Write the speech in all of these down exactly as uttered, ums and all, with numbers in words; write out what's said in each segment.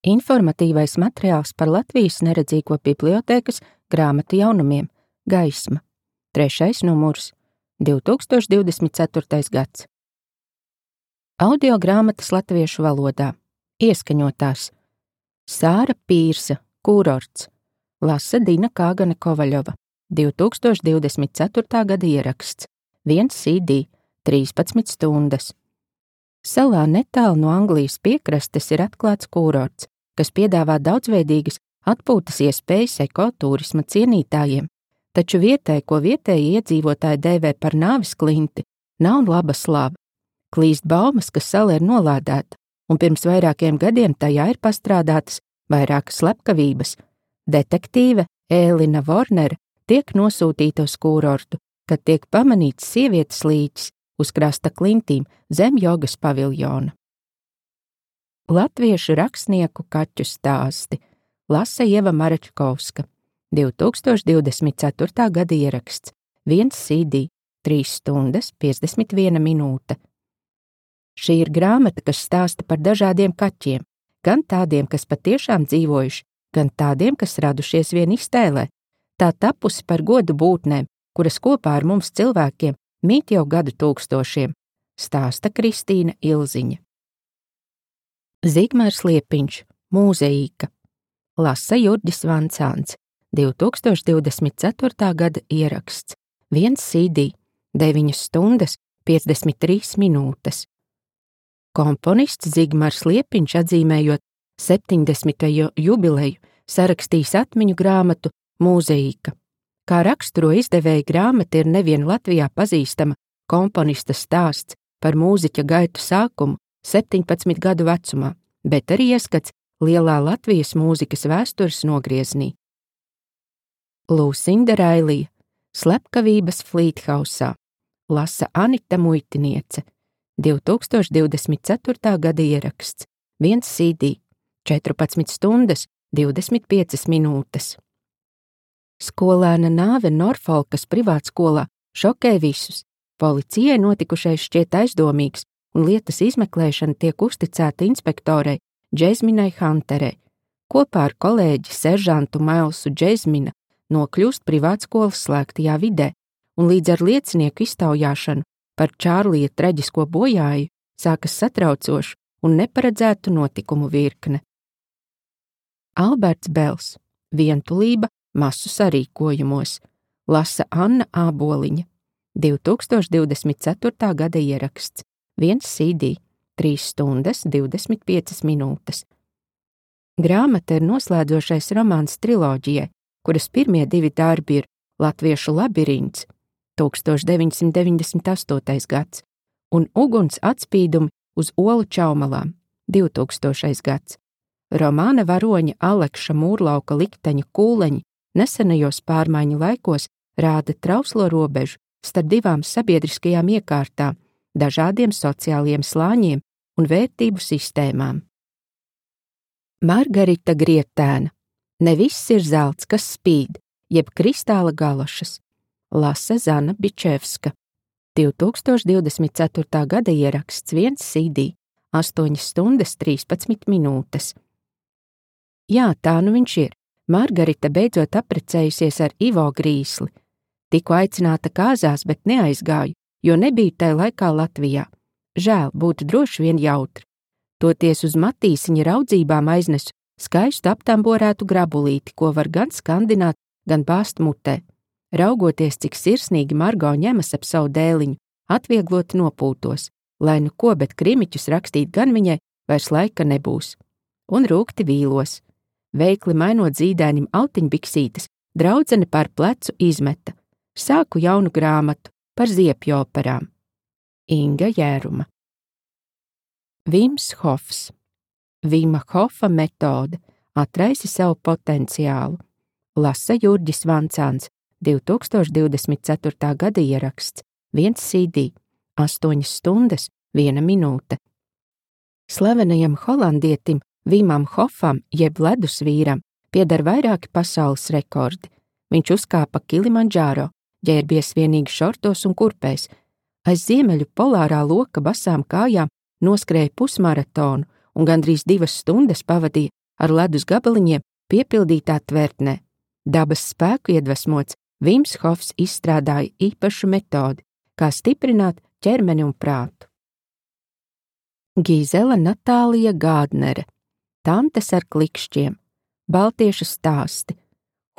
Informatīvais materiāls par Latvijas neredzīgo bibliotēkas grāmatu jaunumiem Gaisma. Trešais numurs, divi tūkstoši divdesmit ceturtais gads. Audio grāmatas latviešu valodā. Ieskaņotās. Sāra Pīrsa, Kūrorts. Lasa Dina Kāgane Kovaļova. divi tūkstoši divdesmit ceturtā gada ieraksts. viens C D, trīspadsmit stundas. Salā netālu no Anglijas piekrastes ir atklāts kūrorts, kas piedāvā daudzveidīgas atpūtas iespējas ekoturisma cienītājiem, taču vietai, ko vietēji iedzīvotāji dēvē par nāves klinti, nav laba slava. Klīst baumas, ka sala ir nolādēta, un pirms vairākiem gadiem tajā ir pastrādātas vairākas slepkavības. Detektīve Ēlina Vornere tiek nosūtīta uz kūrortu, kad tiek pamanīts sievietes līķis uz krasta klintīm zem jogas paviljona. Latviešu rakstnieku kaķu stāsti. Lasa Ieva Marečkovska. divi tūkstoši divdesmit ceturtā gada ieraksts. viens C D, trīs stundas, piecdesmit viena minūte. Šī ir grāmata, kas stāsta par dažādiem kaķiem, gan tādiem, kas patiešām dzīvojuši, gan tādiem, kas radušies vien iztēlē. Tā tapusi par godu būtnēm, kuras kopā ar mums cilvēkiem mīt jau gadu tūkstošiem, stāsta Kristīna Ilziņa. Zigmārs Liepiņš, Mūzeīka. Lasa Jurģis Vancāns, divi tūkstoši divdesmit ceturtā gada ieraksts. viens C D, deviņas stundas, piecdesmit trīs minūtes. Komponists Zigmārs Liepiņš, atzīmējot septiņdesmito jubileju, sarakstījis atmiņu grāmatu Mūzeīka. Kā raksturo izdevēja grāmata, ir nevien Latvijā pazīstama komponista stāsts par mūziķa gaitu sākumu septiņpadsmit gadu vecumā, bet arī ieskats lielā Latvijas mūzikas vēstures nogrieznī. Lūsinda Railija, Slepkavības Flīthausā. Lasa Anita Muitiniece. divi tūkstoši divdesmit ceturtā gada ieraksts. viens C D, četrpadsmit stundas, divdesmit piecas minūtes. Skolēna nāve Norfolkas privātskolā šokē visus. Policijai notikušais šķiet aizdomīgs, un lietas izmeklēšana tiek uzticēta inspektorei Džezminai Hunterei. Kopā ar kolēģi seržantu Mailsu Džezmina nokļūst privātskolas slēgtajā vidē, un līdz ar liecinieku iztaujāšanu par Čārlija traģisko bojāju sākas satraucošu un neparedzētu notikumu virkne. Alberts Bels, Vientulība masu sarīkojumos. Lasa Anna Āboliņa. divi tūkstoši divdesmit ceturtā gada ieraksts. viens C D, trīs stundas, divdesmit piecas minūtes. Grāmata ir noslēdzošais romāns triloģijai, kuras pirmie divi darbi ir Latviešu labirints, tūkstoš deviņsimt deviņdesmit astotais gads, un Uguns atspīdumi uz olu čaumalām, divtūkstošais gads. Romāna varoņa Alekša Mūrlauka likteņa kūleņi nesenajos pārmaiņu laikos rāda trauslo robežu starp divām sabiedriskajām iekārtām, dažādiem sociāliem slāņiem un vērtību sistēmām. Margarita Grietēna. Ne viss ir zelts, kas spīd, jeb kristāla galošas. Lasa Zana Bičevska. divi tūkstoši divdesmit ceturtā gada ieraksts. viens C D, astoņas stundas, trīspadsmit minūtes. Jā, tā nu viņš ir. Margarita beidzot apprecējusies ar Ivo Grīsli. Tiku aicināta kāzās, bet neaizgāju, jo nebiju tai laikā Latvijā. Žēl, būtu droši vien jautri. Toties uz matīsiņa raudzībām aiznesu skaistu aptamborētu grabulīti, ko var gan skandināt, gan bāzt mutē. Raugoties, cik sirsnīgi Margo ņemas ap savu dēliņu, atvieglot nopūtos, lai nu ko, bet krimiķus rakstīt gan viņai vairs laika nebūs. Un rūkti vīlos. Veikli mainot zīdainim autiņbiksītes, draudzene par plecu izmeta. Sāku jaunu grāmatu par ziepju operām. Inga Jēruma. Vims Hofs. Vima Hofa metode atraisi savu potenciālu. Lasa Jurģis Vancāns, divi tūkstoši divdesmit ceturtā gada ieraksts. viens C D, astoņas stundas, viena minūte. Slavenajam holandietim Vimam Hofam, jeb ledus vīram, pieder vairāki pasaules rekordi. Viņš uzkāpa Kilimandžāro, ģērbies vienīgi šortos un kurpēs. Aiz ziemeļu polārā loka basām kājām noskrēja pusmaratonu un gandrīz divas stundas pavadīja ar ledus gabaliņiem piepildītā tvertnē. Dabas spēku iedvesmots, Vims Hofs izstrādāja īpašu metodi, kā stiprināt ķermeni un prātu. Gīzela Natālija Gādnere, Tantes ar klikšķiem, baltiešu stāsti,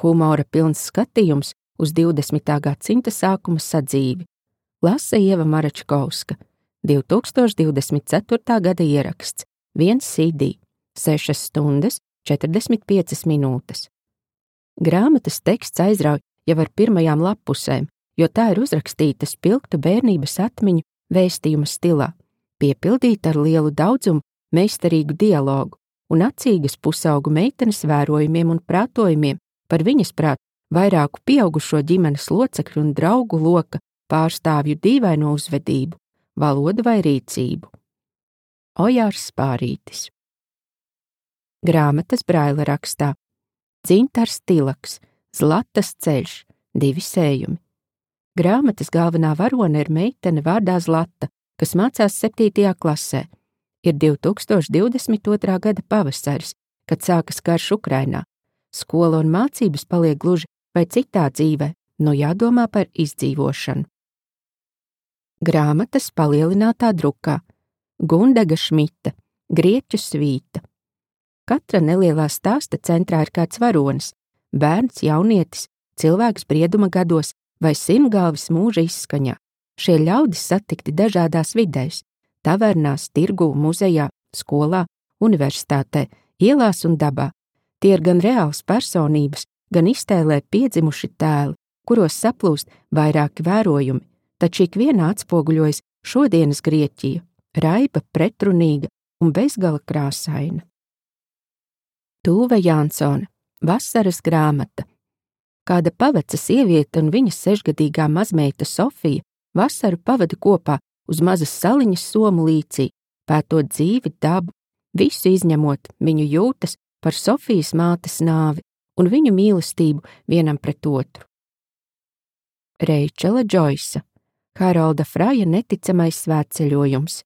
humora pilns skatījums uz divdesmitā gadsimta sākuma sadzīvi, lasa Ieva Maračkovska, divtūkstoš divdesmit ceturtā gada ieraksts, viens C D, sešas stundas, četrdesmit piecas minūtes. Grāmatas teksts aizrauj jau ar pirmajām lappusēm, jo tā ir uzrakstīta spilgtu bērnības atmiņu vēstījuma stilā, piepildīta ar lielu daudzumu meistarīgu dialogu un acīgas pusaugu meitenes vērojumiem un prātojumiem par viņas prāt vairāku pieaugušo ģimenes locekļu un draugu loka pārstāvju dīvaino uzvedību, valodu vai rīcību. Ojārs Spārītis. Grāmatas Braila rakstā. Dzintars Tilaks, Zlatas ceļš, divi sējumi. Grāmatas galvenā varone ir meitene vārdā Zlata, kas mācās septītajā klasē. Ir divtūkstoš divdesmit otrā gada pavasaris, kad sākas karš Ukrainā. Skola un mācības paliek gluži vai citā dzīvē, no jādomā par izdzīvošanu. Grāmatas palielinātā drukā. Gundaga Šmita, Grieķu svīta. Katra nelielā stāsta centrā ir kāds varonis, bērns, jaunietis, cilvēks brieduma gados vai simtgalvis mūža izskaņā. Šie ļaudis satikti dažādās vidēs – tavernās, tirgū, muzejā, skolā, universitātē, ielās un dabā. Tie ir gan reāls personības, gan iztēlē piedzimuši tēli, kuros saplūst vairāki vērojumi, taču ikvienā atspoguļojas šodienas Grieķija, raiba, pretrunīga un bezgala krāsaina. Tūve Jansone, Vasaras grāmata. Kāda paveca sieviete un viņas sešgadīgā mazmeita Sofija vasaru pavada kopā uz mazas saliņas somu līcī, pētot dzīvi, dabu, visu izņemot viņu jūtas par Sofijas mātes nāvi un viņu mīlestību vienam pret otru. Reičela Džoisa, Harolda Fraja neticamais svētceļojums.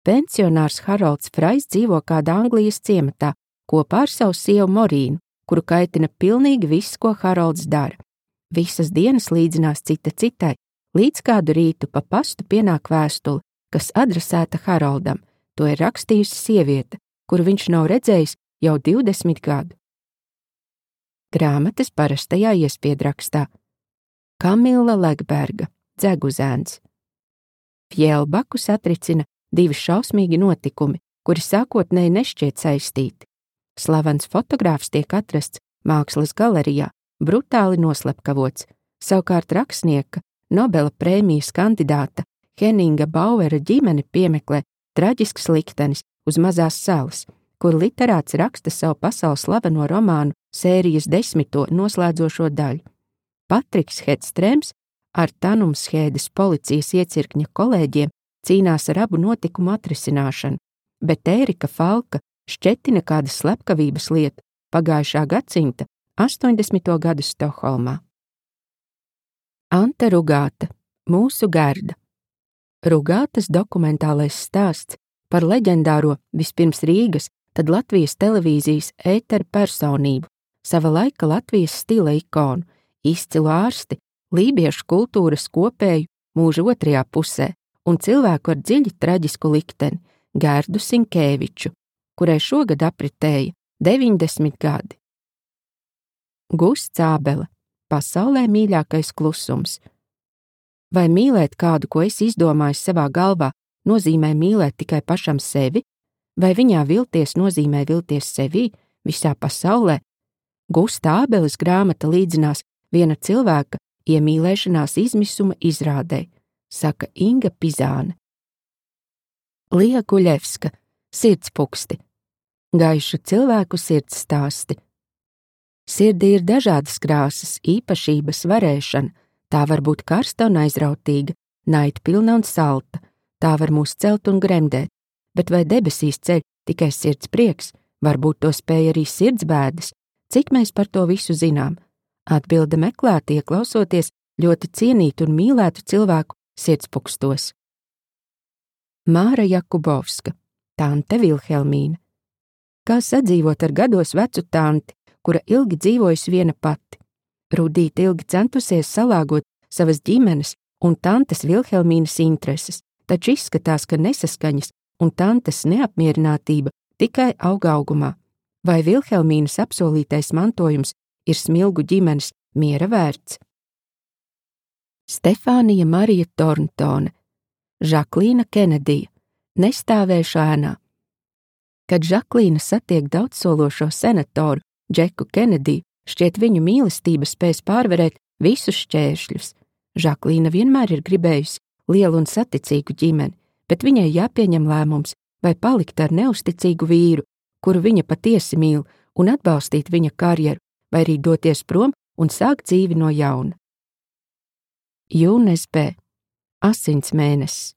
Pensionārs Harolds Frajs dzīvo kādā Anglijas ciematā kopā ar savu sievu Morīnu, kuru kaitina pilnīgi viss, ko Harolds dara. Visas dienas līdzinās cita citai, līdz kādu rītu pa pastu pienāk vēstule, kas adresēta Haroldam. To ir rakstījusi sieviete, kuru viņš nav redzējis jau divdesmit gadu. Grāmatas parastajā iespiedrakstā. Kamila Legberga, Dzeguzēns. Fjēlbaku satricina divi šausmīgi notikumi, kuri sākotnēji nešķiet saistīti. Slavens fotogrāfs tiek atrasts mākslas galerijā, brutāli noslepkavots, savukārt rakstnieka, Nobela prēmijas kandidāta Henninga Bauera ģimene piemeklē traģisks liktenis uz mazās salas, kur literāts raksta savu pasaules slaveno romānu sērijas desmito noslēdzošo daļu. Patriks Hedstrēms ar Tanumshēdes policijas iecirkņa kolēģiem cīnās ar abu notikumu atrisināšanu, bet Ērika Falka šķetina kāda slepkavības lieta pagājušā gadsimta astoņdesmito gadu Stokholmā. Ante Rugāta, Mūsu Gerda. Rugātas dokumentālais stāsts par leģendāro vispirms Rīgas, tad Latvijas televīzijas ētera personību, sava laika Latvijas stila ikonu, izcilu ārsti, lībiešu kultūras kopēju mūža otrajā pusē un cilvēku ar dziļi traģisku likteni, Gerdu Sinkēviču, kurai šogad apritēja deviņdesmit gadi. Gusts Ābele, Pasaulē mīļākais klusums. Vai mīlēt kādu, ko es izdomāju savā galvā, nozīmē mīlēt tikai pašam sevi, vai viņā vilties nozīmē vilties sevī, visā pasaulē? Gusta Ābeles grāmata līdzinās viena cilvēka iemīlēšanās izmisuma izrādē, saka Inga Pizāne. Lija Guļevska, Sirdspuksti. Gaišu cilvēku sirds stāsti. Sirdī ir dažādas krāsas, īpašības, varēšana, tā var būt karsta un aizrautīga, naidpilna un salta, tā var mūs celt un gremdēt, bet vai debesīs ceļ tikai sirds prieks, varbūt to spēj arī sirds bēdas, cik mēs par to visu zinām? Atbilde meklēt, ieklausoties ļoti cienītu un mīlētu cilvēku sirdspunkstos. Māra Jakubovska, Tante Vilhelmīna. Kā sadzīvot ar gados vecu tanti, kura ilgi dzīvojusi viena pati. Rudīte ilgi centusies salāgot savas ģimenes un tantes Vilhelmīnas intereses, taču izskatās, ka nesaskaņas un tantes neapmierinātība tikai aug augumā. Vai Vilhelmīnas apsolītais mantojums ir smilgu ģimenes miera vērts? Stefānija Marija Torntone, Žaklīna Kenedija, Nestāvēšu ēnā. Kad Žaklīna satiek daudzsološo senatoru Džeku Kenediju, šķiet viņu mīlestība spēs pārvarēt visus šķēršļus. Žaklīna vienmēr ir gribējusi lielu un saticīgu ģimeni, bet viņai jāpieņem lēmums, vai palikt ar neusticīgu vīru, kuru viņa patiesi mīl, un atbalstīt viņa karjeru, vai arī doties prom un sākt dzīvi no jauna. Jūnes B. Asins mēnesis.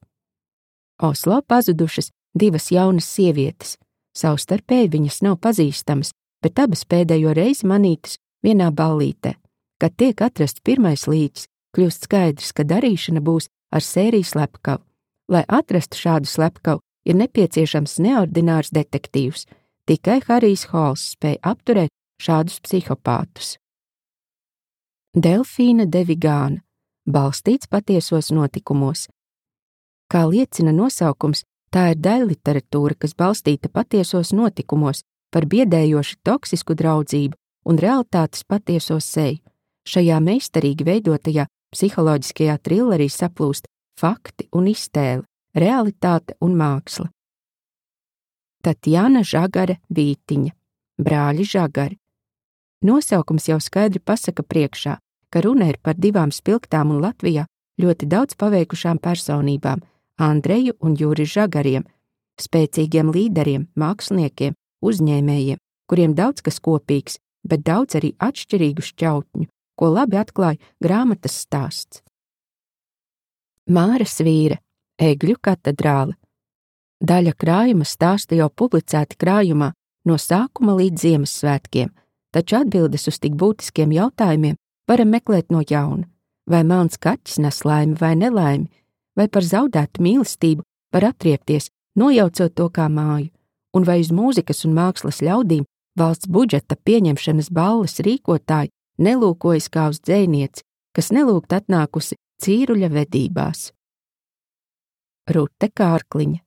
Oslo pazudušas divas jaunas sievietes. Savstarpēji viņas nav pazīstamas, bet abas pēdējo reizi manītas vienā ballītē. Kad tiek atrasts pirmais līķis, kļūst skaidrs, ka darīšana būs ar sēriju slepkavu. Lai atrastu šādu slepkavu, ir nepieciešams neordinārs detektīvs. Tikai Harijs Hols spēja apturēt šādus psihopātus. Delfīna de Vigāna, balstīts patiesos notikumos. Kā liecina nosaukums, tā ir daļliteratūra, kas balstīta patiesos notikumos, par biedējoši toksisku draudzību un realitātes patieso seju. Šajā meistarīgi veidotajā psiholoģiskajā trillerī saplūst fakti un iztēle, realitāte un māksla. Tatjana Žagare Vītiņa, Brāļi Žagari. Nosaukums jau skaidri pasaka priekšā, ka runa ir par divām spilgtām un Latvijā ļoti daudz paveikušām personībām, Andreju un Juri Žagariem, spēcīgiem līderiem, māksliniekiem, uzņēmējiem, kuriem daudz kas kopīgs, bet daudz arī atšķirīgu šķautņu, ko labi atklāja grāmatas stāsts. Māra Svīre, Egļu katedrāle. Daļa krājuma stāsta jau publicēti krājumā no sākuma līdz Ziemassvētkiem, taču atbildes uz tik būtiskiem jautājumiem varam meklēt no jauna. Vai melns kaķis nes laimi vai nelaimi, vai par zaudētu mīlestību var atriepties, nojaucot to kā māju, un vai uz mūzikas un mākslas ļaudīm valsts budžeta pieņemšanas balles rīkotāji nelūkojas kā uz dzejnieci, kas nelūgt atnākusi cīruļa vedībās. Rute Kārkliņa,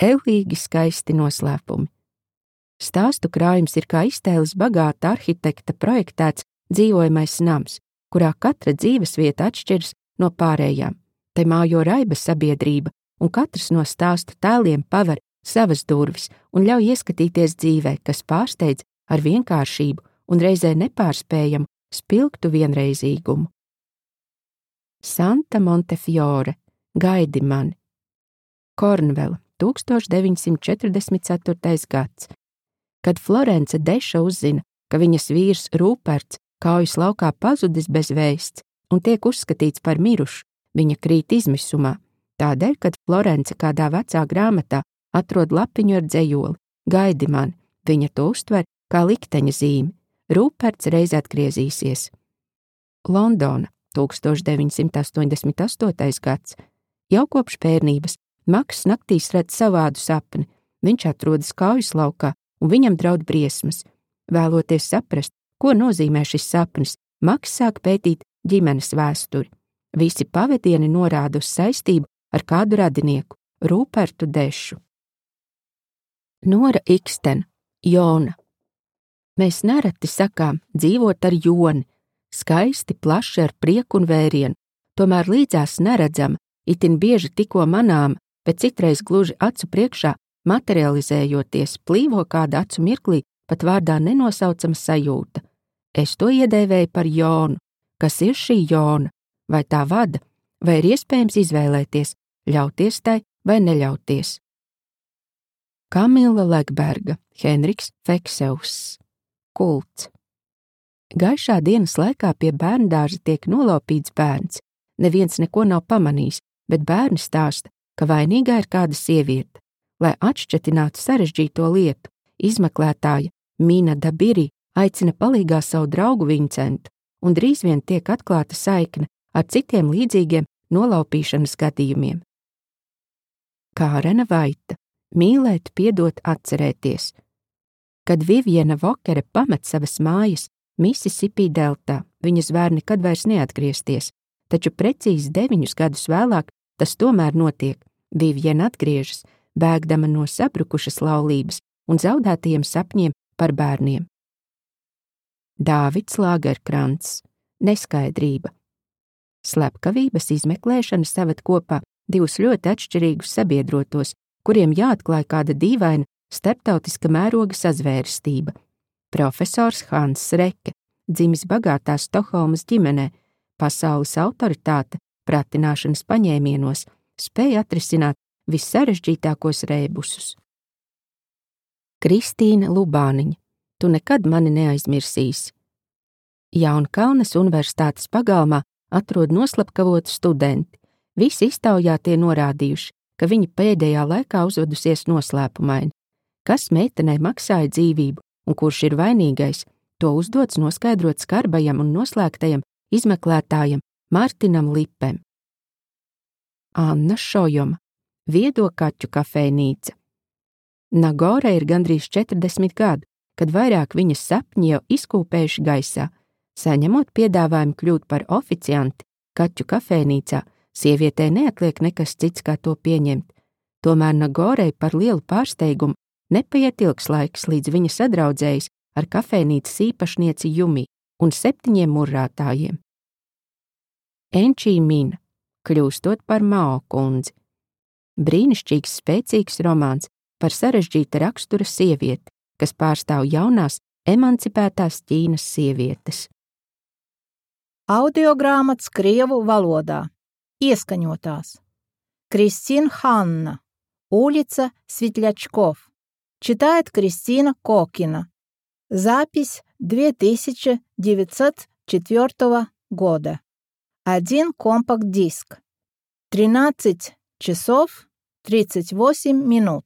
Ellīgi skaisti noslēpumi. Stāstu krājums ir kā iztēles bagāta arhitekta projektēts dzīvojamais nams, kurā katra dzīvesvieta atšķiras no pārējām. Te mājo raiba sabiedrība, un katrs no stāstu tēliem paver savas durvis un ļauj ieskatīties dzīvē, kas pārsteidz ar vienkāršību un reizē nepārspējamu spilgtu vienreizīgumu. Santa Montefiore, Gaidi mani. Kornvela, tūkstoš deviņsimt četrdesmit ceturtais gads. Kad Florence Deša uzzina, ka viņas vīrs Rūperts kaujas laukā pazudis bez vēsts un tiek uzskatīts par mirušu, viņa krīt izmisumā. Tādēļ, kad Florence kādā vecā grāmatā atrod lapiņu ar dzejoli, Gaidi mani, viņa to uztver kā likteņa zīmi. Rūperts reiz atgriezīsies. Londona, tūkstoš deviņsimt astoņdesmit astotais gads. Jau kopš bērnības Maks naktīs redz savādu sapni. Viņš atrodas kaujas laukā un viņam draud briesmas. Vēloties saprast, ko nozīmē šis sapnis, Maks sāk pētīt ģimenes vēsturi. Visi pavadieni norāda uz saistību ar kādu radinieku, Rūpertu Dešu. Nora Iksten, Jona. Mēs nereti sakām dzīvot ar joni, skaisti, plaši ar prieku un vērienu, tomēr līdzās neredzama, itin bieži tikko manām, bet citreiz gluži acu priekšā materializējoties, plīvo kāda acu mirklī pat vārdā nenosaucama sajūta. Es to iedēvēju par Jonu. Kas ir šī Jona? Vai tā vada? Vai ir iespējams izvēlēties, ļauties tai vai neļauties? Kamila Legberga, Henriks Fekseuss. Kults. Gaišā dienas laikā pie bērndārza tiek nolaupīts bērns. Neviens neko nav pamanījis, bet bērni stāsta, ka vainīgā ir kāda sieviete. Lai atšķetinātu sarežģīto lietu, izmeklētāja Mina Dabiri aicina palīgā savu draugu Vincentu, un drīz vien tiek atklāta saikne ar citiem līdzīgiem nolaupīšanas gadījumiem. Kārena Vaita, mīlēt, piedot, atcerēties. Kad Viviena Vokere pamet savas mājas Mississippi deltā, viņas var nekad vairs neatgriezties, taču precīzi deviņus gadus vēlāk tas tomēr notiek. Viviena atgriežas, bēgdama no sabrukušas laulības un zaudētajiem sapņiem par bērniem. Dāvids Lagerkrants. Neskaidrība. Slepkavības izmeklēšana saved kopā divus ļoti atšķirīgus sabiedrotos, kuriem jāatklāj kāda dīvaina starptautiska mēroga sazvērestība. Profesors Hans Reke, dzimis bagātā Stokholmas ģimenē, pasaules autoritāte pratināšanas paņēmienos, spēja atrisināt vissarežģītākos rēbusus. Kristīna Lubāniņa. Tu nekad mani neaizmirsīsi. Jaunkalnes universitātes pagalmā atrod noslapkavotu studenti. Visi iztaujātie norādījuši, ka viņa pēdējā laikā uzvedusies noslēpumaini. Kas meitenei maksāja dzīvību un kurš ir vainīgais, to uzdots noskaidrot skarbajam un noslēgtajam izmeklētājam Martinam Lipem. Anna Šojoma. Viedo kaķu kafejnīca. Nagore ir gandrīz četrdesmit gadu, kad vairāk viņas sapņi jau izkūpējuši gaisā. Saņemot piedāvājumu kļūt par oficianti kaķu kafejnīcā, sievietei neatliek nekas cits, kā to pieņemt. Tomēr Nagorei par lielu pārsteigumu nepaiet ilgs laiks, līdz viņa sadraudzējas ar kafejnīcas īpašnieci Jumi un septiņiem murrātājiem. Enčī Mina. Kļūstot par Mao kundzi. Brīnišķīgs, spēcīgs romāns par sarežģīta rakstura sievieti, kas pārstāv jaunās, emancipētās Ķīnas sievietes. Audiogrāmats krievu valodā. Ieskaņotās. Кристин Ханна. Улица Светлячков. Читает Кристина Кокина. Запись две тысячи девятьсот четвёртого года. Один компакт-диск. тринадцать часов тридцать восемь минут.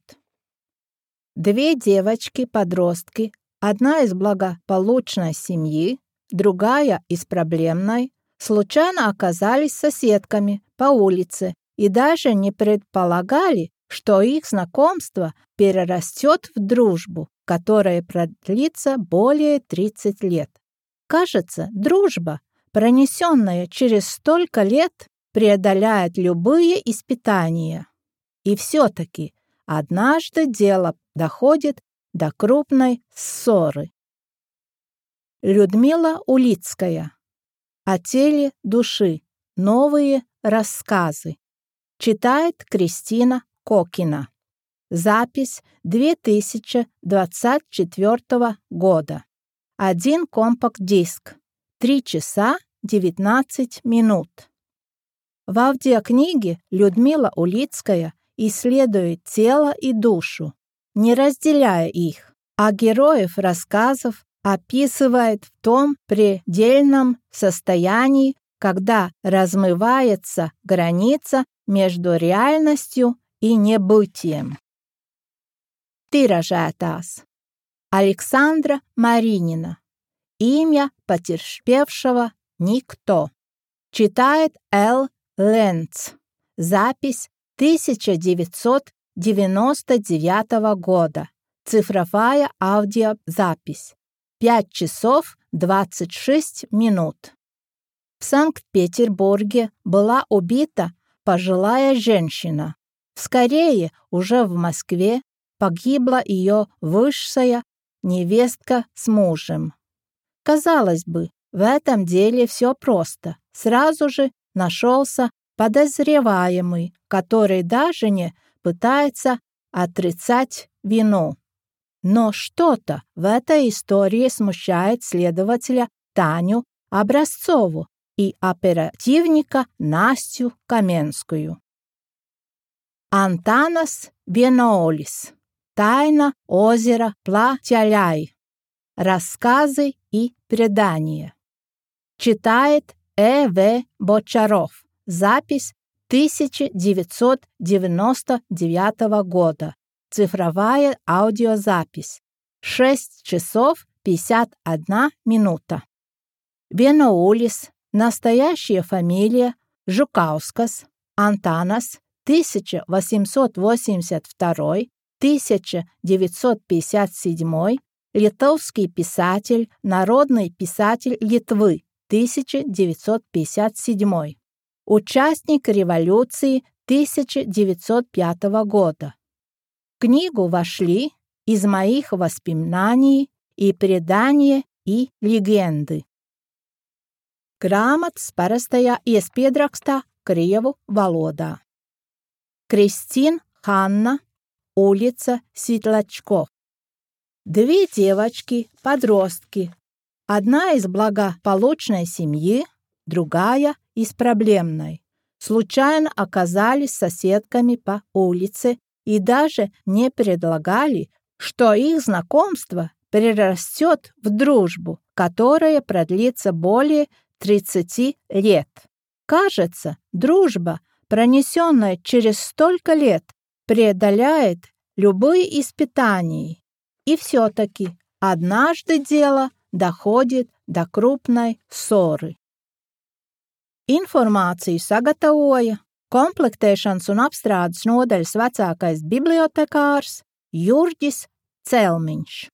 Две девочки-подростки, одна из благополучной семьи, другая из проблемной, случайно оказались соседками по улице и даже не предполагали, что их знакомство перерастет в дружбу, которая продлится более тридцати лет. Кажется, дружба, пронесенная через столько лет, преодоляет любые испытания. И все-таки однажды дело доходит до крупной ссоры. Людмила Улицкая. О теле души. Новые рассказы. Читает Кристина Кокина. Запись две тысячи двадцать четвёртого года. Один компакт-диск. три часа девятнадцать минут. В аудиокниге Людмила Улицкая исследует тело и душу, не разделяя их, а героев рассказов описывает в том предельном состоянии, когда размывается граница между реальностью и небытием. Тиражētās. Александра Маринина. Имя потерпевшего никто. Читает Л. Ленц. Запись тысяча девятьсот девяносто девятого года. Цифровая аудиозапись. пять часов двадцать шесть минут. В Санкт-Петербурге была убита пожилая женщина. Вскоре уже в Москве погибла ее высшая невестка с мужем. Казалось бы, в этом деле все просто. Сразу же нашелся подозреваемый, который даже не пытается отрицать вину. Но что-то в этой истории смущает следователя Таню Образцову и оперативника Настю Каменскую. Антанас Веноолис. Тайна озера Пла-Тяляй. Рассказы и предания. Читает Э. В. Бочаров. Запись тысяча девятьсот девяносто девятого года. Цифровая аудиозапись. шесть часов пятьдесят одна минута. Веноулис. Настоящая фамилия Жукаускас. Антанас. тысяча восемьсот восемьдесят второй — тысяча девятьсот пятьдесят седьмой. литовский писатель, народный писатель Литвы, тысяча девятьсот пятьдесят седьмой, участник революции тысяча девятьсот пятого года. В книгу вошли из моих воспоминаний и предания и легенды. Grāmatas parastajā iespiedrakstā krievu valodā. Кристин Ханна, улица Светлячков. Две девочки-подростки. Одна из благополучной семьи, другая из проблемной. Случайно оказались соседками по улице и даже не предлагали, что их знакомство перерастет в дружбу, которая продлится более тридцати лет. Кажется, дружба, пронесенная через столько лет, преодоляет любые испытания. И все-таки однажды дело доходит до крупной ссоры. Informāciju sagatavoja komplektēšanas un apstrādes nodaļas vecākais bibliotekārs Jurģis Celmiņš.